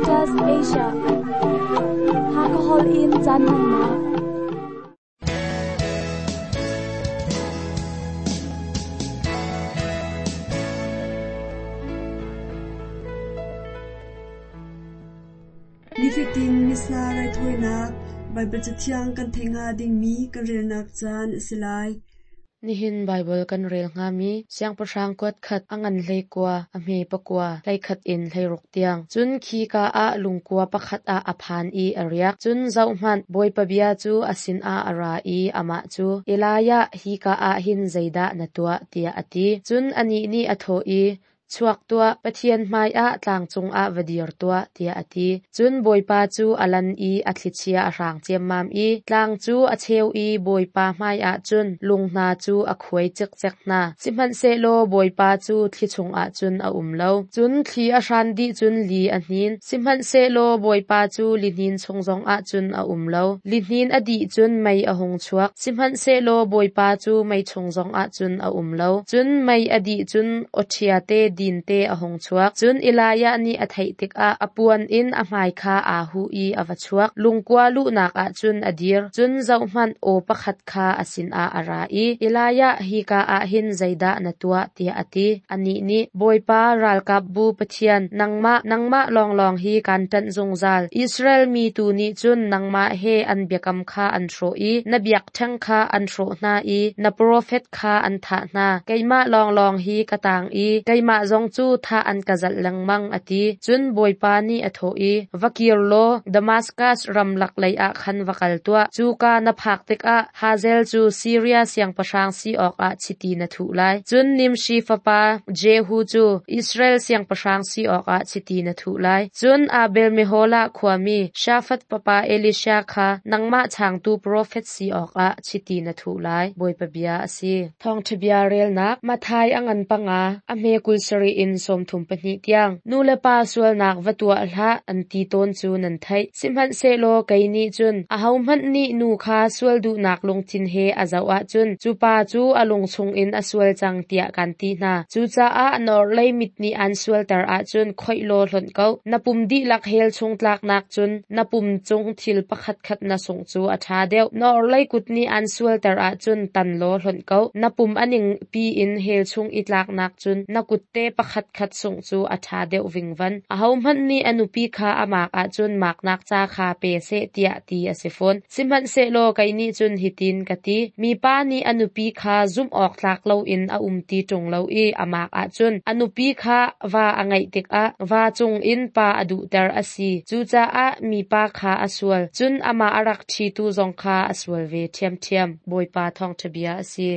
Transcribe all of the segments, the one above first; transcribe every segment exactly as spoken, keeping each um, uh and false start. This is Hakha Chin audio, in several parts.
Adventist Asia. Hakahol in caan na. Nifatin Missa raithawinak Baibal Cathiang kan theih hnga dingmi kan relnak caan a si lai. Nihin Baibal kan rel hngami siangpahrang kuat khat a ngan hlei kua a hme pakua hlei khat in hlei ruk tiang. Cun khika ah lungkua pakhat ah a phan i a riak. Cun zohhmanh Bawipa bia cu a sinah a ra i amah cu Elijah hika ah hin zeidah na tuah tiah a ti. Cun anih nih a thawh i chuak tuah, Pathian hmaiah tlang cungah va dir tuah, tiah a ti. Cun Bawipa cu a lan i a thlichia a hrang ciammam i tlang cu a cheu i Bawipa hmaiah cun lung hna cu a khuai cikcek hna. Sihmanhsehlaw Bawipa cu thli chungah cun a um lo. Cun thli a hran dih cun li a hnin. Sihmanhsehlaw Bawipa cu lihnin chung zongah cun a um lo. Lihnin a dih cun mei a hung chuak. Sihmanhsehlaw Bawipa cu mei chung zongah cun a um lo. Cun mei a dih cun awṭhia te din te a hung chuak. Cun Elijah nih a theih tikah a puan in a hmai kha aa huh i a va chuak. Lungkua luhnak ah cun a dir. Cun zohhmanh aw pakhat kha a sinah a ra i Elijah hika ah hin zeidah na tuah tiah a ti. Anih nih Bawipa ralkapbu Pathian nangmah nangmah lawnglawng hi kaan ṭanh zungzal. Israel mi tu nih cun nangmah he an biakam kha an hrawh i na biakṭheng kha an hrawh hna i na profet kha an thah hna. Keimah lawnglawng hi ka taang i keimah zong cu thah an ka zalh lengmang a ti. Cun Bawipa nih a thawh i va kir law Damascus ramlak lei ah khan va kal tuah. Cuka na phak tikah Hazael cu Siria siangpahrang si awkah chiti na thuh lai. Cun Nimshi fapa Jehu cu Israel siangpahrang si awkah chiti na thuh lai. Cun Abel Meholah khuami Shafat fapa Elisha kha nangmah changtu profet si awkah chiti na thuh lai. Bawipa bia a si. Thawngṭha bia relnak Matthai a ngan panga a hme kul sarih in sawmthum pahnih tiang. Nu le pa sualnak va tuah hlah an ti tawn cu nan theih. Sihmanhsehlaw kei nih cun ahohmanh nih nu kha sual duhnak lungthin he a zoh ahcun cu pa cu a lung chungin a sual cang tiah kan ti hna. Cucaah na orhlei mit nih aan sualter ahcun khoih law hlonh ko. Na pum dihlak hell chung tlaknak cun na pum cung thil pakhatkhat na sungh cu a ṭha deuh. Na orhlei kut nih aan sualter ahcun tan law hlonh ko. Na pum a ningpi in hell chung i tlaknak cun na kutte pakhatkhat sungh cu a ṭha deuh vingvan. Ahohmanh nih a nupi kha a maak ahcun maaknak ca kha pe seh tiah ti a si fawn. Sihmanhsehlaw kei nih cun hitin ka ti. Mipa nih a nupi kha zumh awk tlak loin a um ti ṭung lo i a maak ahcun a nupi kha va a ngeih tikah va cungin pa a duhter a si. Cucaah mipa kha a sual. Cun amah a rak ṭhitu zong kha a sual ve ṭhiamṭhiam. Bawipa thawngṭha bia a si.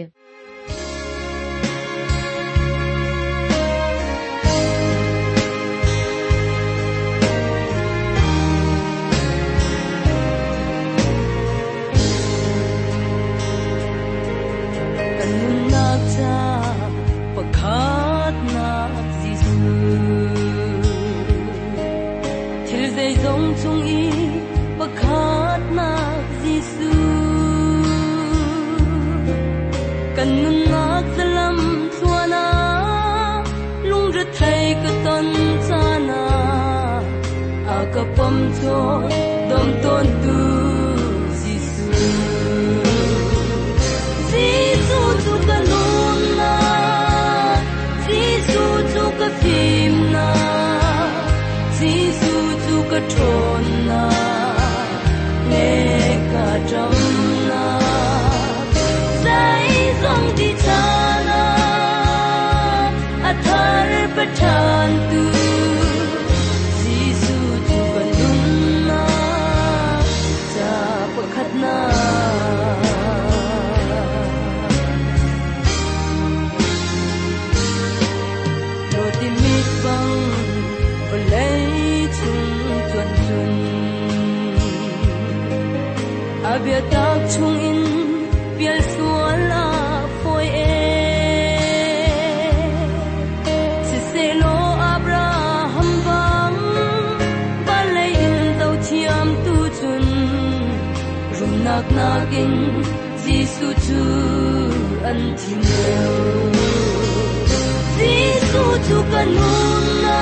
Jesu chu ka nun na,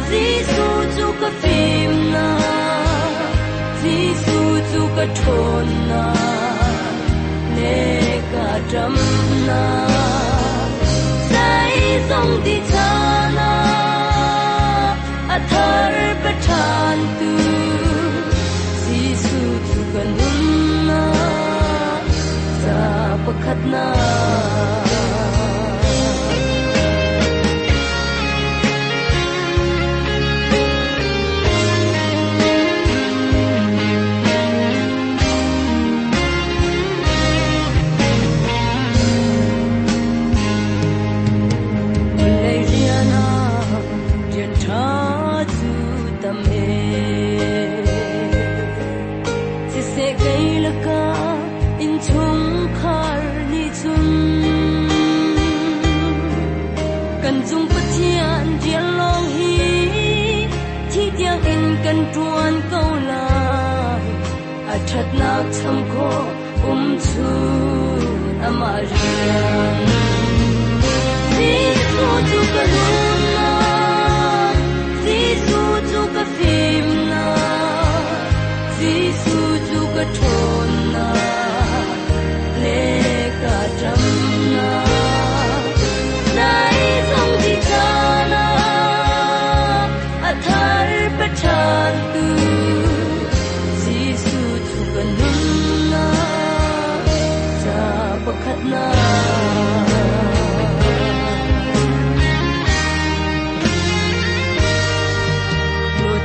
Jesu chu ka fimnak Jesuh cu ka ṭhawnnak le ka ṭamnak zeizong ti caan ah a thar pe ṭhan tu Jesuh cu ka nunnak ca pakhatnak. Vawlei rian ah rian ṭha cu tam ee. Siseh kei lakah innchungkhar nih cun kan cung Pathian rian lawng hi thi tiangin kan ṭuan ko lai. A ṭhatnak cham khawh um chun amah rian. Jesuh cu ka nunnak, Jesuh cu ka fimnak, Jesuh cu ka ṭhawnnak le ka ṭamnak. Zeizong ti caan ah a thar pe ṭhan tu Jesuh cu ka nunnak ca pakhatnak.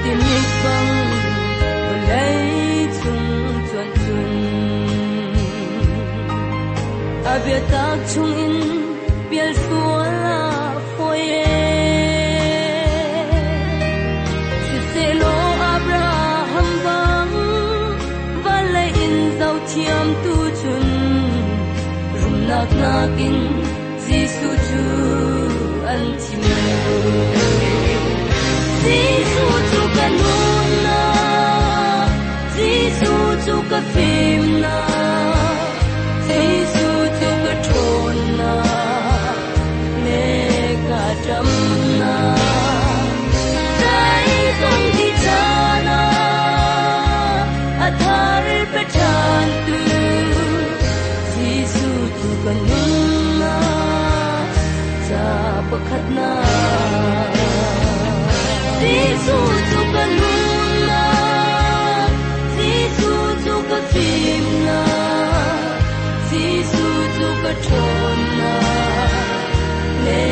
Timik bang vawlei cung cuan cun a biatak chungin pial sual a fawi e. Siselaw Abraham bang vawlei in zohthiam tu cun rumnak nakin Jesuh cu an thim Jesuh cu ka nunnak, Jesuh cu ka fimnak, Jesuh cu ka ṭhawnnak le ka ṭamnak. Zeizong ti caan ah a thar pe ṭhan tu Jesuh cu ka nunnak ca pakhatnak. Jesuh cu ka nunnak, Jesuh cu ka fimnak, Jesuh cu ka ṭhawnnak le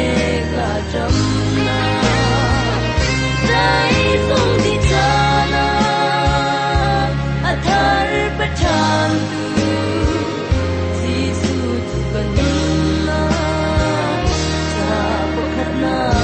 ka ṭamnak. Zeizong ti caan ah a thar pe ṭhan tu Jesuh cu ka nunnak ca pakhatnak.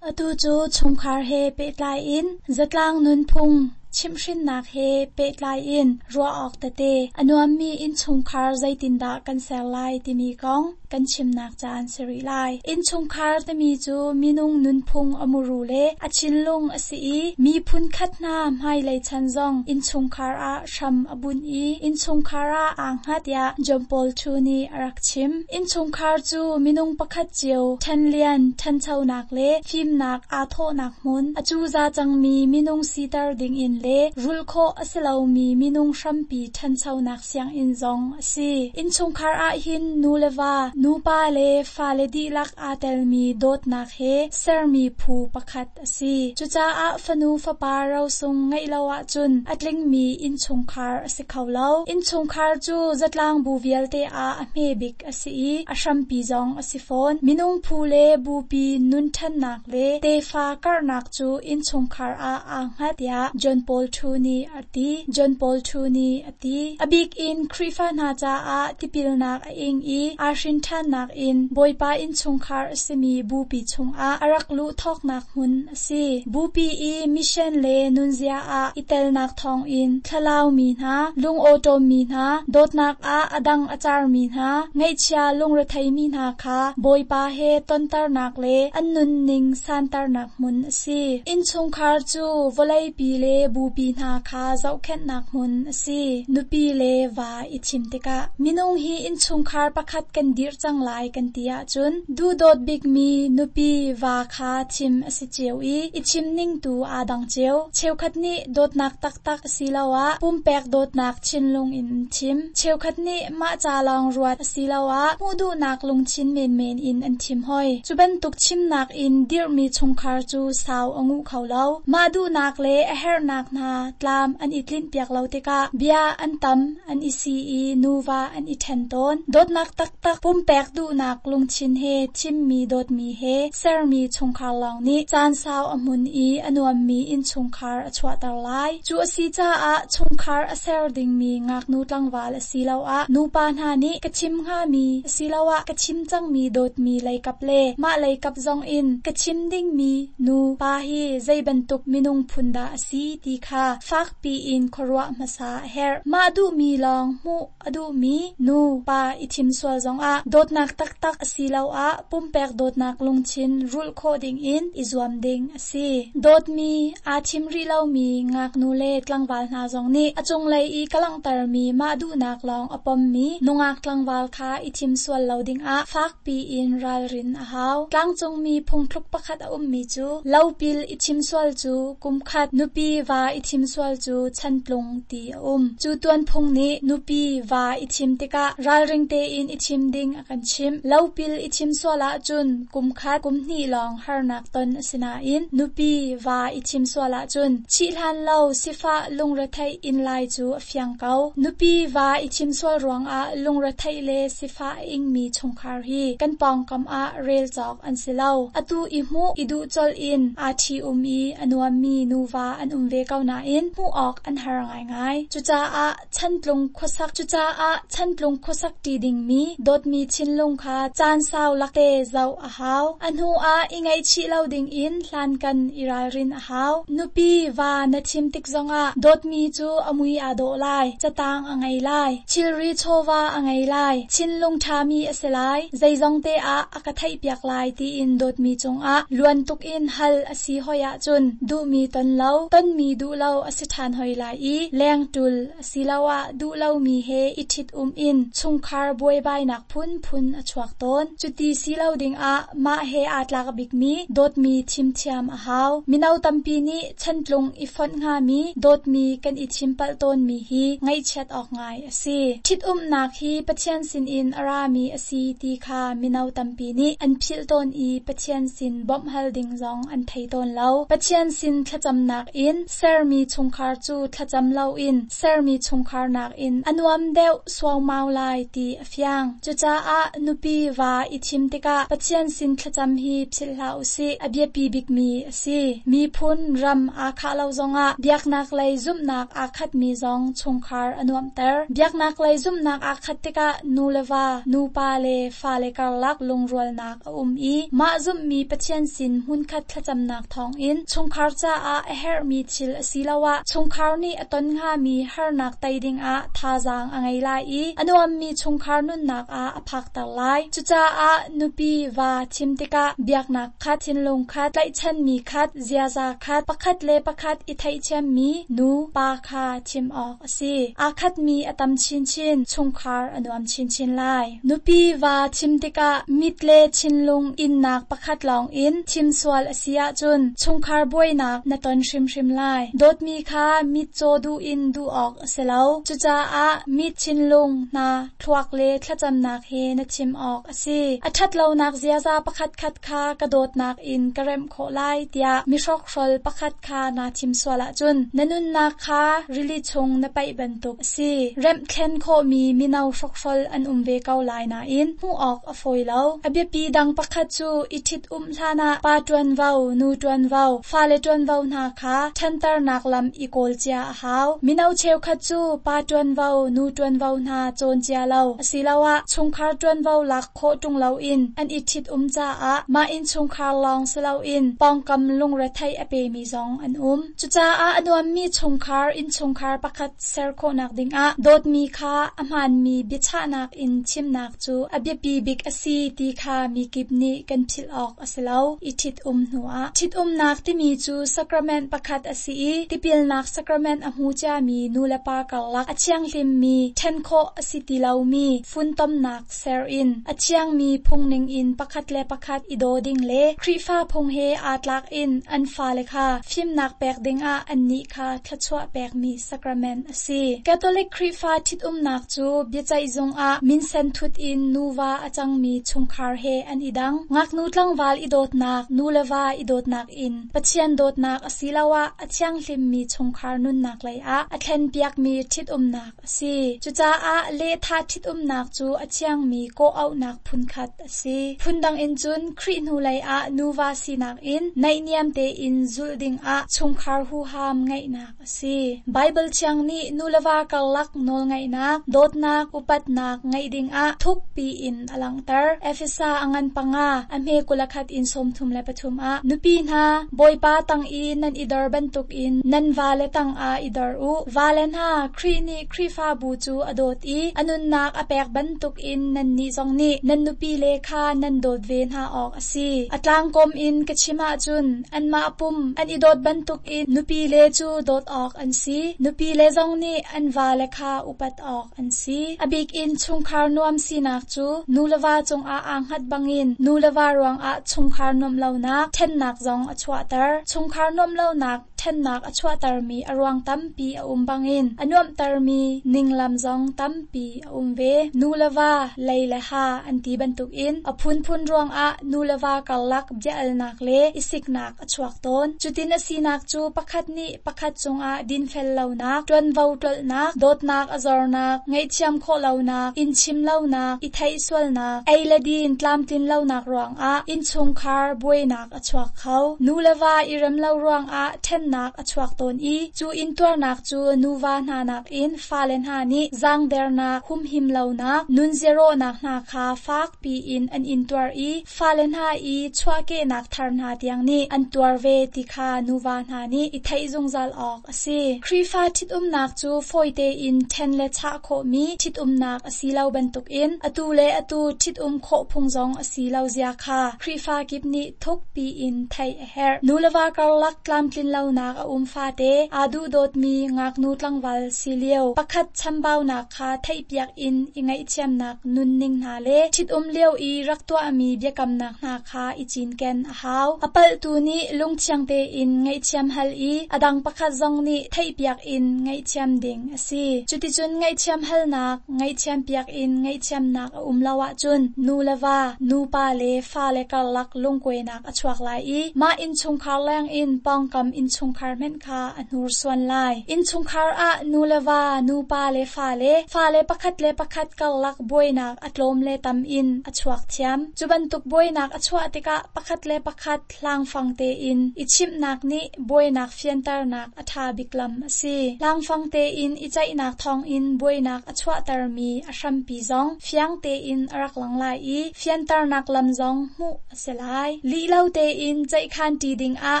Atu cu chungkhar he pehtlai in zatlang nunphung chimhhrinnak he pehtlai in ruah awk tete a nuammi innchungkhar zeitindah kan ser lai timi kong kan chimnak caan si rih lai. Innchungkhar timi cu minung nunphung a muru le a thinlung a si i miphun khat hna hmailei chan zong innchungkhar ah hram a bunh i innchungkhar ah aa hngat tiah John Paul II nih a rak chim. Innchungkhar cu minung pakhat cio ṭhanlian, ṭhanchonak le fimnak aa thawhnak hmun a cuza cangmi minung siter dingin le rulh khawh a si lomi minung hrampi ṭhanchonak sianginn zong a si. Innchungkhar ah hin nu le va, nupa le fale dihlak aa telmi dawtnak he sermi phu pakhat a si. Cucaah fanu fapa rosung ngeih lo ahcun a tlingmi innchungkhar a si kho lo. Innchungkhar cu zatlang bu vialte ah a hme bik a si i a hrampi zong a si fawn. Minung phu le bupi nun ṭhannak le tefa karhnak cu innchungkhar ah aa hngat tiah John Paul II nih a ti. John Paul II nih a ti. A bik in Khrihfa hna caah tipilnak a ing i aa hrin ṭhannak in Bawipa innchungkhar a simi bupi chungah a rak luh thawknak hmun a si. Bupi i mission le nunzia ah i telnak thawngin thlalaumi hna, lungawṭawmmi hna, dawtnak ah a dang a carmi hna, ngaihchia lungretheimi hna kha Bawipa he tonternak le an nunning santernak hmun a si. Innchungkhar cu vawleipi le bupi hna kha zohkhenhnak hmun a si. Nupi le va i thim tikah minung hi innchungkhar pakhat kan dirh cang lai kan ti ahcun duhdawt bikmi nupi va kha thim a si cio i i thim ning tu aa dang cio. Cheukhat nih dawtnak taktak asiloah pumpek dawtnak thinlung in an thim. Cheukhat nih mah ca lawng ruat asiloah hmuh duhnak lungthin menmen in an thim hoi. Cu bantuk thimnak in dirhmi chungkhar cu sau a nguh kho lo. Mah duhnak le a herhnak hna tlam an i tlinhpiak lo tikah bia an tam an i si i nuva an i ṭhen tawn. Dawtnak taktak pumpek duhnak lungthin he thimmi dawtmi he sermi chungkhar lawng nih caan sau a hmun i a nuammi innchungkhar a chuahter lai. Cu a si caah chungkhar a ser dingmi ngaknu tlangval asiloah nupa hna nih ka chim hngami asiloah ka chim cangmi dawtmi leikap le mah leikap zong in ka chim dingmi nu pa hi zei bantuk minung phun dah a si ti kha fakpi in khuaruah hmasa a herh. Mah duhmi lawng hmuh a duhmi nu pa i thim sual zongah dawtnak taktak asiloah pumpek dawtnak lungthin rulh khawh dingin i zuam ding a si. Dawtmi aa thim rih lomi ngaknu le tlangval hna zong nih a cunglei i ka langhtermi mah duhnak lawng a pommi nungak tlangval kha i thim sual lo dingah fakpi in ralrin a hau. Tlangcungmi phungthluk pakhat a ummi cu lopil i thim sual cu kumkhat, nupi va i thim sual cu chantlung ti a um. Cu tuanphung nih nupi va i thim tikah ralring tein i thim ding a kan chimh. Lopil i thim sual ahcun kumkhat, kumhnih lawng harnak ton a si nain nupi va i thim sual ahcun thih hlan lo sifah lungretheih in lai cu a fiang ko. Nupi va i thim sual ruangah lungretheih le sifah a ingmi chungkhar hi kan pawngkam ah rel cawk an si lo. Atu i hmuh i duh colh in aa ṭhi um i a nuammi nuva an um ve ko nain hmuh awk an har ngaingai. Cucaah chantlung khuasak cucaah chantlung khuasak ṭi dingmi dawtmi thinlung kha caan sau lakte zoh a hau. A hnu ah i ngaihchih lo dingin hlankan i ralrin a hau. Nupi va na thim tik zongah dawtmi cu a mui aa dawh lai, catang a ngei lai, thilri chawva a ngei lai, thinlung ṭhami a si lai, zeizong te ah a ka theihpiak lai tiin dawtmi cungah luan tuk in hal a si hoi ahcun duhmi ton lo, tonmi duh lo a si ṭhan hoi lai i lengṭul asiloah duh lomi he i ṭhit um in chungkhar buaibainak phunphun a chuak tawn. Cuti si lo dingah mah he aa tlak bikmi dawtmi thim thiam a hau. Mino tampi nih chantlung i fonh hngami dawtmi kan i thim palh tawnmi hi ngaihchiat awk ngai a si. Ṭhitumnak hi Pathian sinin a rami a si ti kha mino tampi nih an philh tawn i Pathian sin bawmh hal ding zong an thei tawn lo. Pathian sin thlacamnak in sermi chungkhar cu thlacam loin sermi chungkhar nakin a nuam deuh suaumau lai ti a fiang. Cucaah nupi va i thim tikah Pathian sin thlacam hi philh hlah usih, a biapi bikmi a si. Miphun ram aa khah lo zongah biaknak lei zumhnak aa khatmi zong chungkhar a nuamhter. Biaknak lei zumhnak aa khat tikah nu le va, nupa le fale karlak lungrualnak a um i mah zumhmi Pathian sin hmunkhat thlacamnak thawngin chungkhar caah a herhmi thil asiloah chungkhar nih a ton hngami harnak tei dingah thazaang a ngei lai i a nuammi chungkhar nunnak ah a phakter lai. Cucaah nupi va thim tikah biaknak khat, thinlung khat, tlaihchanmi khat, ziaza khat, pakhat le pakhat i theihthiammi nu pa kha thim awk a si. Aa khatmi a tam chinchin, chungkhar a nuam chinchin lai. Nupi va thim tikah mit le thinlung innak pakhat lawng in thim sual a si ahcun chungkhar buainak na ton hrimhrim lai. Dawtmi kha mitcaw duh in duh awk a si lo. Cucaah mit thinlung hna thluak le thlacamnak he na thim awk a si. A ṭhatlonak ziaza pakhatkhat kha ka dawtnak in ka remh khawh lai tiah mihrokhrawl pakhat kha naa thim sual ahcun na nunnak kha rili chung na paih bantuk a si. Remh thlen khawhmi mino hrokhrawl an um ve ko lai nain hmuh awk a fawi lo. A biapi dang pakhat cu i ṭhit um hlanah pa ṭuanvo, nu ṭuanvo, fale ṭuanvo hna kha ṭhanter fianternak lam i kawl cia a hau. Mino cheukhat cu pa ṭuanvo, nu ṭuanvo hna cawn cia lo asiloah chungkhar ṭuanvo lak khawh ṭung loin an i ṭhit-um caah mah innchungkhar lawng si loin pawngkam lungretheih a pemi zong an um. Cucaah a nuammi chungkhar innchungkhar pakhat ser khawhnak dingah dawtmi kha a hmaanmi biachahnak in chimnak cu a biapi bik a si ti kha mikip nih kan philh awk a si lo. I ṭhit-um hnuah. Ṭhit-umnak timi cu sacrament pakhat a si i tipilnak sacrament a hmu ciami nulepa karlak a thianghlimmi, ṭhen khawh a si ti lomi funtomnak ser in a thiangmi phungning in pakhat le pakhat i daw ding le Khrihfa phung he aa tlak in an fale kha fimnak pek dingah annih kha thluachuah pekmi sacrament a si. Catholic Khrihfa ṭhitumnak cu biaceihzung ah minsen thut in nuva a cangmi chungkhar he an i dang. Ngaknu tlangval i dawtnak, nu le va i dawtnak in Pathian dawtnak asiloah a thianghlimmi chungkhar nunnak lei ah a thlenpiakmi ṭhitumnak a si. Cucaah lehthah ṭhitumnak cu a thiangmi kawh-auhnak phunkhat a si. Phundang in cun Khrih hnulei ah nuva sinak in naihniam tein zulh dingah chungkhar huham ngeihnak a si. Baibal Thiang nih nu le va karlak nawlngeihnak, dawtnak, upatnak ngeih dingah thukpi in a langhter. Efesa a ngan panga, a hme kul le khat in sawmthum le pathum ah nupi hna, Bawipa tang i nan i dor bantukin nan vale tangah i dor u. Vale hna, Khrih nih Khrihfabu cu a dawt i a nunnak a pek bantukin nannih zong nih nan nupile kha nan dawt ve hna awk a si. A tlangkawm in ka chim ahcun anmah pum an i dawt bantukin nupile cu dawt awk an si. Nupile zong nih an vale kha upat awk an si. A bik in chungkhar nuam sinak cu nu le va cungah aa hngat bangin nu le va ruangah chungkhar nuamh lonak, ṭhennak zong a chuahter. Chungkhar nuamh lonak, ṭhennak a chuahtermi a ruang tampi a um bangin a nuamhtermi ninglam zong tampi a um ve. Nu le va, lei le ha an ti bantukin a phunphun ruangah nu le va karlak bia-alnak le i siknak a chuak tawn. Cutin a sinak cu pakhat nih pakhat cungah dinfel lonak, ṭuanvo tlolhnak, dawtnak a zornak, ngaihthiam khawh lonak, inn chim lonak, i theih sualnak, ei le din tlamtlin lonak ruangah innchungkhar buainak a chuak kho. Nu le va i rem lo ruangah ṭhennak a chuak tawn i cu intuarnak cu nuva hna nakin fale hna nih zaangdernak, humhim lonak, nunziarawhnak hna kha fakpi in an intuar i fale hna i chuahkehnak thar hna tiang nih an tuar ve ti kha nuva hna nih i theih zungzal awk a si. Khrihfa ṭhitumnak cu fawi tein ṭhen le chah khawhmi ṭhitumnak a si lo bantukin atu le atu ṭhitum khawh phung zong a si lo zia kha Khrihfa kip nih thukpi in theih a herh. Nu le va karlak tlamtlin lonak a um fate aa duhdawtmi ngaknu tlangval si lio pakhat chambaunak kha theihpiak in i ngaihthiamnak nunning hna le ṭhitum lio i rak tuahmi biakamnak hna kha i cinken a hau. A palhtu nih lungthiang tein ngaihthiam hal i a dang pakhat zong nih theihpiak in ngaihthiam ding a si. Cuticun ngaihthiam halnak, ngaihthiam piak in ngaihthiamnak a um lo ahcun nu le va, nupa le fale karlak lungkuainak a chuak lai i mah innchungkhar leng in pawngkam innchungkhar hmenh kha a hnursuan lai. Innchungkhar ah nu le va, nupa le fale, fale pakhat le pakhat karlak buainak a tlawm le tam in a chuak thiam. Cu bantuk buainak a chuah tikah pakhat le pakhat hlangfang tein i chimhnak nih buainak fianternak a ṭha bik lam a si. Hlangfang tein i ceihnak thawngin buainak a chuahtermi a hrampi zong fiang tein a rak lang lai i fianternak lam zong hmuh a si lai. Lih lo tein ceihkhan ṭi dingah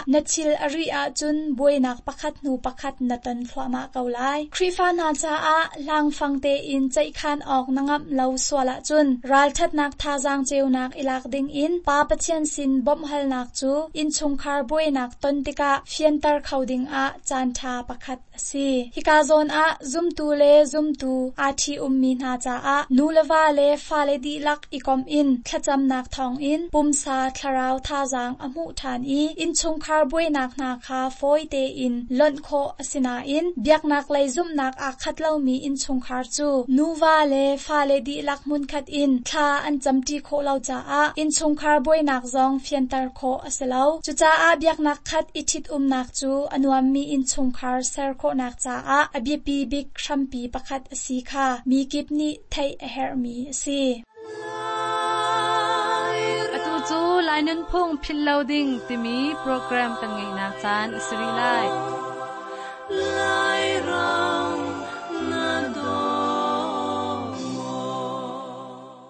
na thil a rih ahcun buainak pakhat hnu pakhat na ton thluahmah ko lai. Khrihfa hna caah hlangfang tein ceihkhan awk na ngamh lo sual ahcun ralṭhatnak thazaang ceunak i lak dingin Pa Pathian sin bawmhhalnak cu innchungkhar buainak ton tikah fianter kho dingah caanṭha pakhat a si. Hika zawn ah zumtu le zumtu aa ṭhi-ummi hna caah nu le va le fale dihlak i komh in thlacamnak thawngin pumsa thlarau thazaang a hmuh ṭhan i innchungkhar buainak hna kha fawi tein lonh khawh a si nain biaknak lei zumhnak aa khat lomi innchungkhar cu nuva le fale dihlak hmunkhat in thla an camṭi khawh lo caah innchungkhar buainak zong fianter khawh a si lo. Cucaah biaknak khat i ṭhitumnak cu a nuammi innchungkhar ser khawhnak caah a biapi bik hrampi pakhat a si kha mi kip nih theih a herhmi a si. Atu cu Lai Nunphung Philh Lo Ding timi program kan ngeihnak caan a si rih lai. Lairam na daw maw?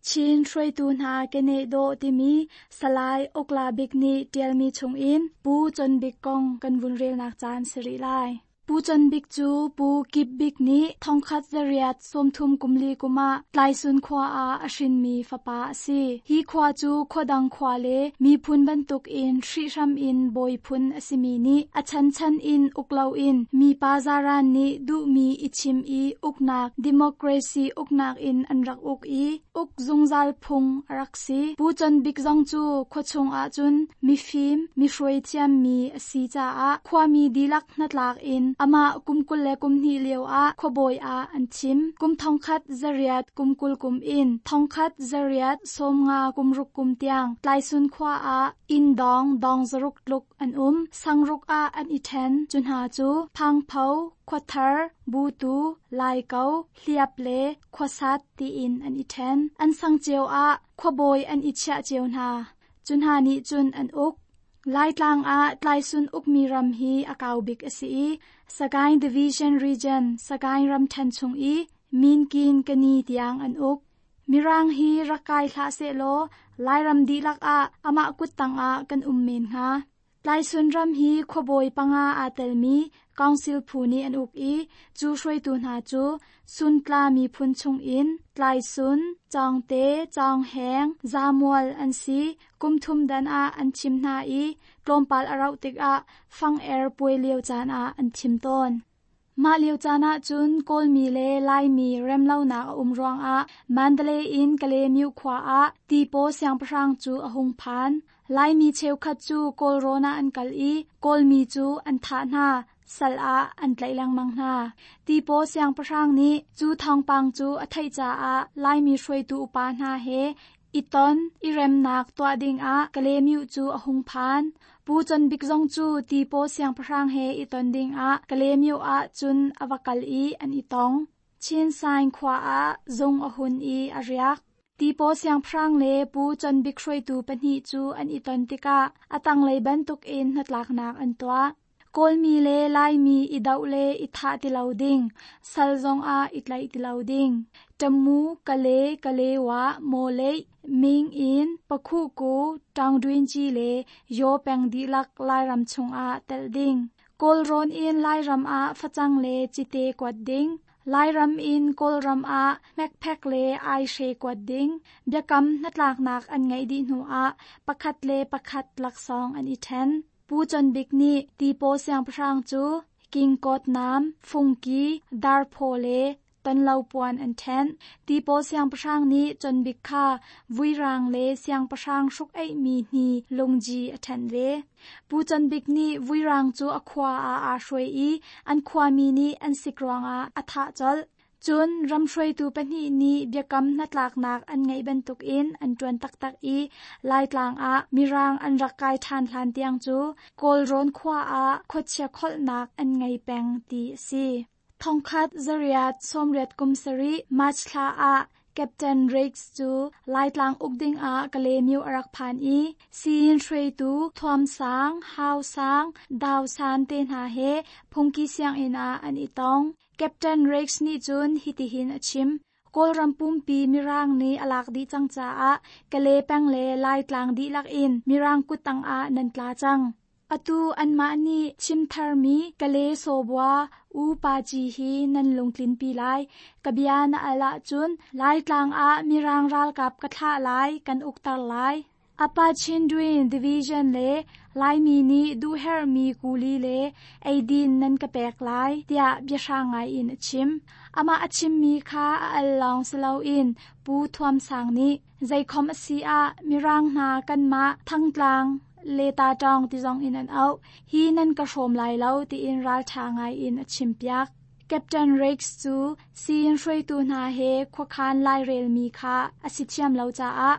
Chin hruaitu hna keneh dawh timi Salai Ukla Bik nih ṭialmi chungin Pu Con Bik kong kan vun relnak caan si rih lai. Pu Con Bik cu Pu Kip Bik nih thongkhat zariat sawmthum kumli kum ah Tlaisun khua ah a hrinmi fapa a si. Hi khua cu khuadang khua le miphun bantukin hrihhram in bawi phun a simi nih a chanchan in uk loin mipa zaran nih duhmi i chim i uknak democracy uknak in an rak uk i uk zungzal phung a rak si. Pu Con Bik zong cu khuachung ahcun mifim, mihruai thiammi a si caah khuami dihlak hnatlak in amah kum kul le kum hnih lio ah khuabawi ah an thim. Kum thongkhat zariat kum kul kum in thongkhat zariat sawmnga kum ruk kum tiang Tlaisun khua ah inn dawng dawng zaruk tluk an um. Sangruk ah an i ṭhen. Cu hna cu Phangpho, Khuathar, Butu, Laiko, Hliap le Khuasat tiin an i ṭhen. An sang cio ah khuabawi an i chiah cio hna. Cu hna nih cun an uk. Laitlang ah Tlaisun ukmi ram hi a kau bik a si i Sagaing Division Region, Sagaing ramṭhen chung i Minkin Kani tiang an uk. Mirang hi rak kai hlah sehlaw Lairam dihlak ah amah kuttang ah kan um men hnga. Tlaisun ram hi khuabawi panga aa telmi council phu nih an uk i cu hruaitu hna cu Suntla miphun chungin Tlaisun, Cawngte, Cawngheng, Zamual an si. Kum thum dan ah an thim hna i tlawmpal a rauh tikah fang er puai lio caan ah an thim tawn. Mah lio caan ah cun Kawlmi le Laimi remlonak a um ruangah Mandalay in Kalaymyo khua ah Tipaw siangpahrang cu a hung phan. Laimi cheukhat cu Kawlrawn ah an kal i Kawlmi cu an thah hna, sal ah an tlaih lengmang hna. Tipaw siangpahrang nih cu thawngpang cu a theih caah Laimi hruaitu upa hna he i ton i remnak tuah dingah Kalaymyo cu a hung phan. Pu Con Bik zong cu Tipaw siangpahrang he i ton dingah Kalaymyo ah cun a va kal i an i tong. Chin Saing khua ah zung a hun i a riak. Tipaw siangpahrang le Pu Con Bik hruaitu pahnih cu an i ton tikah a tanglei bantukin hnatlaknak an tuah. Kawlmi le Laimi i doh le i thah ti lo ding, sal zongah i tlaih ti lo ding. Tamu, Kale, Kalewa, Mawleih, Ming in, Pakhuku, Taungdwinci le Yaw peng dihlak Lairam chungah telh ding. Kawlrawn in Lairam ah facang le cite kuat ding. Lairam in Kawlram ah hmekphek le aihre kuat ding. Biakam hnatlaknak an ngeih dih hnuah pakhat le pakhat laksawng an i ṭhen. Pu Con Bik nih Tipaw siangpahrang cu Kingkawt nam, Fungki, Darphaw le tonlo puan an ṭhen. Tipaw siangpahrang nih Con Bik kha vuirang le siangpahrang hruk eihmi hni lungji a ṭhenh ve. Pu Con Bik nih vuirang cu a khua ah aa hruai i an khuami nih an sik ruangah a thah colh. Cun ram hruaitu pahnih nih biakam hnatlaknak an ngeih bantukin an ṭuan taktak i Laitlang ah Mirang an rak kai ṭhan hlan tiang cu Kawlrawn khua ah khuachia kholhnak an ngei peng ti a si. Thongkhat zariat sawmriat kum sarih March thla ah Captain Riggs cu Laitlang uk dingah Kalaymyo a rak phan i siin hruaitu Thuam Sang, Hau Sang, Dau San te hna he phungki sianginn ah an i tong. Captain Riggs nih cun hitihin a chim. Kawlram pumpi Mirang nih a lak dih cang caah Kale peng le Laitlang dihlak in Mirang kuttang ah nan tla cang. Atu anmah nih chim tharmi Kale sawbua U Pa Ci hi nan lungtlinpi lai. Ka bia na al ahcun Laitlang ah Mirang ralkap ka thlah lai, kan ukter lai. Apa Chindwin Division le Laimi nih duhherhmi kuli le eidin nan ka pek lai, tiah biahrang ngai in a chim. Amah a chimmi kha a al lawng si loin Pu Thuam Sang nih zeikhom a si ah Mirang hna kanmah Thangtlang le ta ṭawng ti zong in an auh. Hi nan ka hrawm lai lo tiin ralṭha ngai in a chimpiak. Captain Riggs cu siin hruaitu hna he khuakhan lairelmi kha a si thiam lo caah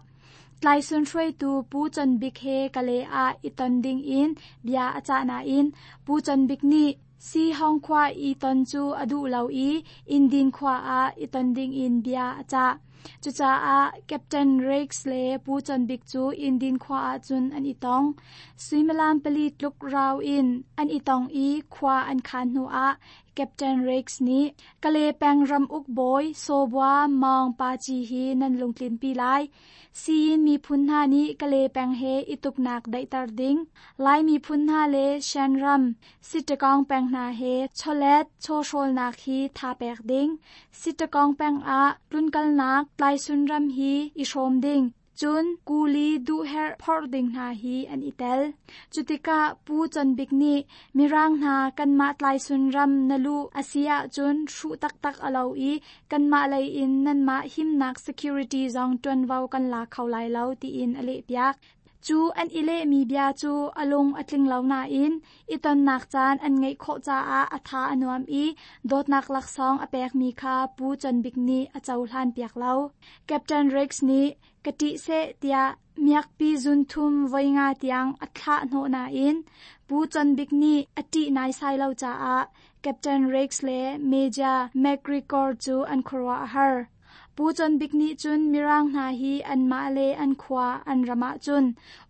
Tlaisun hruaitu Pu Con Bik he Kale ah i ton ding in bia a cah nain Pu Con Bik nih Si Hong khua i ton cu a duh lo i Indin khua ah i ton ding in bia a cah. Cucaah Captain Riggs le Pu Con Bik cu Indin khua ahcun an i tong. Suimilam pali tluk rau in an i tong i khua an khaan hnu ah Captain Riggs nih Kale peng ramuk bawi Sawbua Maung Paci hi nan lungtlinpi lai. Siyin miphun hna nih Kale peng he i tuknak daihter ding. Lai miphun hna le Shan ram Sitakong peng hna he chawlet chawhrawlnak hi tha pek ding. Sitakong peng ah tlunkalnak Tlaisun ram hi i hrawm ding. Cun kuli duhherh phorh ding hna hi an i tel. Cutikah Pu Con Bik nih Mirang hna kanmah Tlaisun ram na luh a si ahcun hruh taktak a lo i kanmah lei in nanmah himnak security zong ṭuanvo kan la kho lai lo tiin a lehpiak. Cu an i lehmi bia cu a lung a tling lo nain i tonnak caan an ngeih khawh caah a tha a nuam i dawtnak laksawng a pekmi kha Pu Con Bik nih a cohlan piak lo. Captain Riggs nih ka ṭih seh tiah miakpi zunthum voi nga tiang a thlah hnawh nain Pu Con Bik nih a ṭih naisai lo caah Captain Riggs le Major McGregor cu an khuaruah a har. Pu Con Bik nih cun Mirang hna hi anmah le an khua an ram ahcun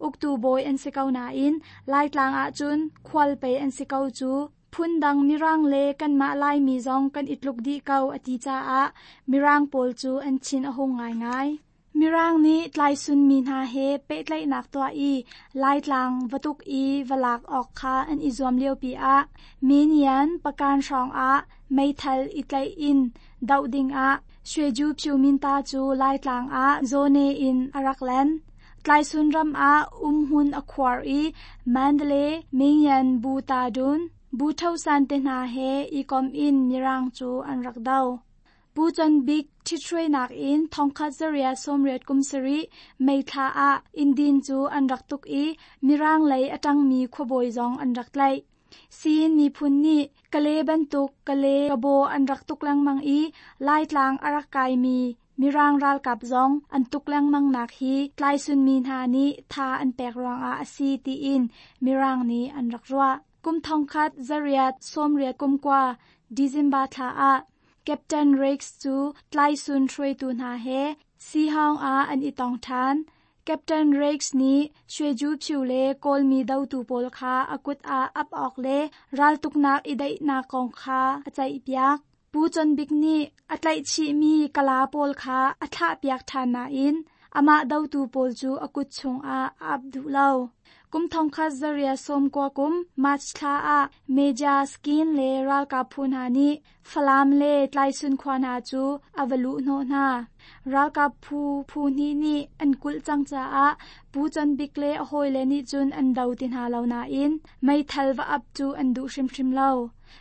uktu bawi an si ko nain Laitlang ahcun khualpei an si ko cu phundang Mirang le kanmah Laimi zong kan i tluk dih ko a ti caah Mirang pawl cu an thin a hung ngaingai. Mirang nih Tlaisun mi hna he pehtlaihnak tuah i Laitlang va tuk i va lak awk kha an i zuam liopi ah Minian pakan hrawngah meithal i tlaih in doh dingah Shweju Phyu-minta cu Laitlang ah Zone in a rak len. Tlaisun ram ah umhmun a khuar i Mandalay, Mingyan Bu Tadun, Bu Thosan te hna he i kom in Mirang cu an rak do. Pu Con Bik ṭhithruainak in thongkhat zariat sawmriat kum sarih May thla ah Indin cu an rak tuk i Mirang lei a ṭangmi khuabawi zong an rak tlaih. Siin miphun nih Kale bantuk Kale kabaw an rak tuk lengmang i Laitlang a rak kaimi Mirang ralkap zong an tuk lengmang nak hi Tlaisun mi hna nih tha an pek ruangah a si tiin Mirang nih an rak ruah. Kum thongkhat zariat sawmriat kum kua December thla ah Captain Riggs cu Tlaisun hruaitu hna he Sihang ah an i tong ṭhan. Captain Riggs nih Shweju Phyu le Kawlmi dotu pawl kha a kut ah ap awk le raltuknak i daihnak kong kha a ceihpiak. Pu Con Bik nih a tlaihchihmi Kala pawl kha a thlahpiak ṭhan nain amah dotu pawl cu a kut chungah a ap duh lo. Kum thongkhat zariat sawmkua kum March thla ah Major Skin le ralkap phu hna nih Falam le Tlaisun khua hna cu a va luh hnawh hna. Ralkap phu phu hnih nih an kulh cang caah Pu Con Bik le a hawile nih cun an do ti hna lo nain meithal va ap cu an duh hrimhrim lo.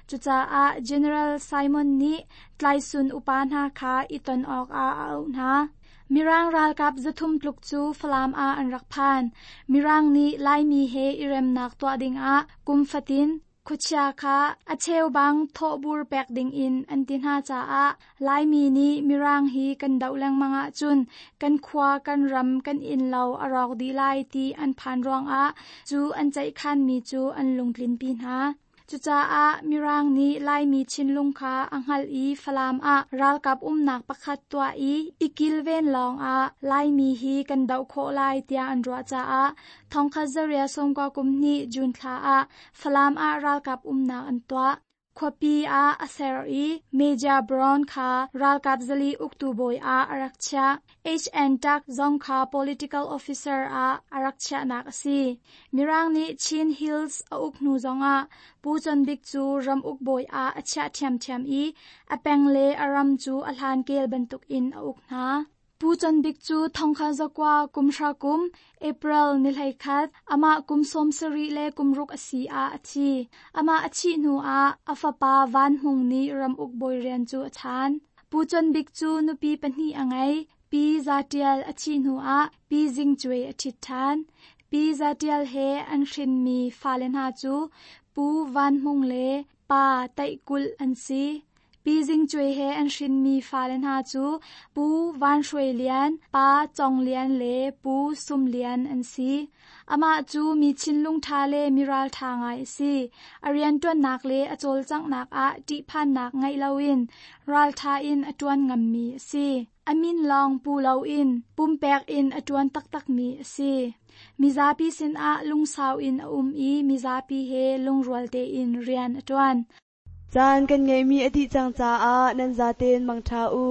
Cucaah General Simon nih Tlaisun upa hna kha i ton awkah a auh hna. Mirang ralkap zathum tluk cu Falam ah an rak phan. Mirang nih Laimi he i remnak tuah dingah kum fatin khuachia kha a cheubang thawhbur pek dingin an ti hna caah Laimi nih Mirang hi kan doh lengmang ahcun kan khua kan ram kan innlo a rawk dih lai ti an phan ruangah cu an ceihkhanmi cu an lungtlinpi hna. Cucaah Mirang nih Laimi thinlung kha a hngalh i Falam ah ralkap umnak pakhat tuah i i kilven lawngah Laimi hi kan doh khawh lai tiah an ruah caah thongkhat zariat sawmkua kum hnih June thla ah Falam ah ralkap umnak an tuah. Khuapi ah a ser i Major Brown kha ralkap zali uktu bawi ah a rak chiah. H N Tuck zong kha political officer ah a rak chiahnak a si. Mirang nih Chin Hills a uk hnu zongah Pu Con Bik cu ram uk bawi ah a chiah ṭhiamṭhiam i a peng le a ram cu a hlan kel bantukin a uk hna. Pu Con Bik cu thongkhat zakua kum hra kum April ni hleikhat amah kum sawm sarih le kum ruk a si ah a thi. Amah a thih hnu ah a fapa Van Hmung nih ram uk bawi rian cu a chaan. Pu Con Bik cu nupi pahnih a ngei. Pi Za Ṭial a thih hnu ah Pi Zing Cuai a ṭhit ṭhan. Pi Za Ṭial he an hrinmi fale hna cu Pu Van Hmung le Pa Taih Kulh an si. Pi Zing Cuai he an hrinmi fale hna cu Pu Van Hruai Lian, Pa Cong Lian le Pu Sum Lian an si. Amah cu mi thinlung ṭha le mi ralṭha ngai a si. A rianṭuannak le a cawlcanghnak ah ṭihphannak ngeih loin ralṭha in a ṭuan ngammi a si. A min lawng pu loin pumpek in a ṭuan taktakmi a si. Mizapi sinah lungsau in a um i mizapi he lungrual tein rian a ṭuan. Caan kan ngeihmi a dih cang caah nan zaten mangṭha u.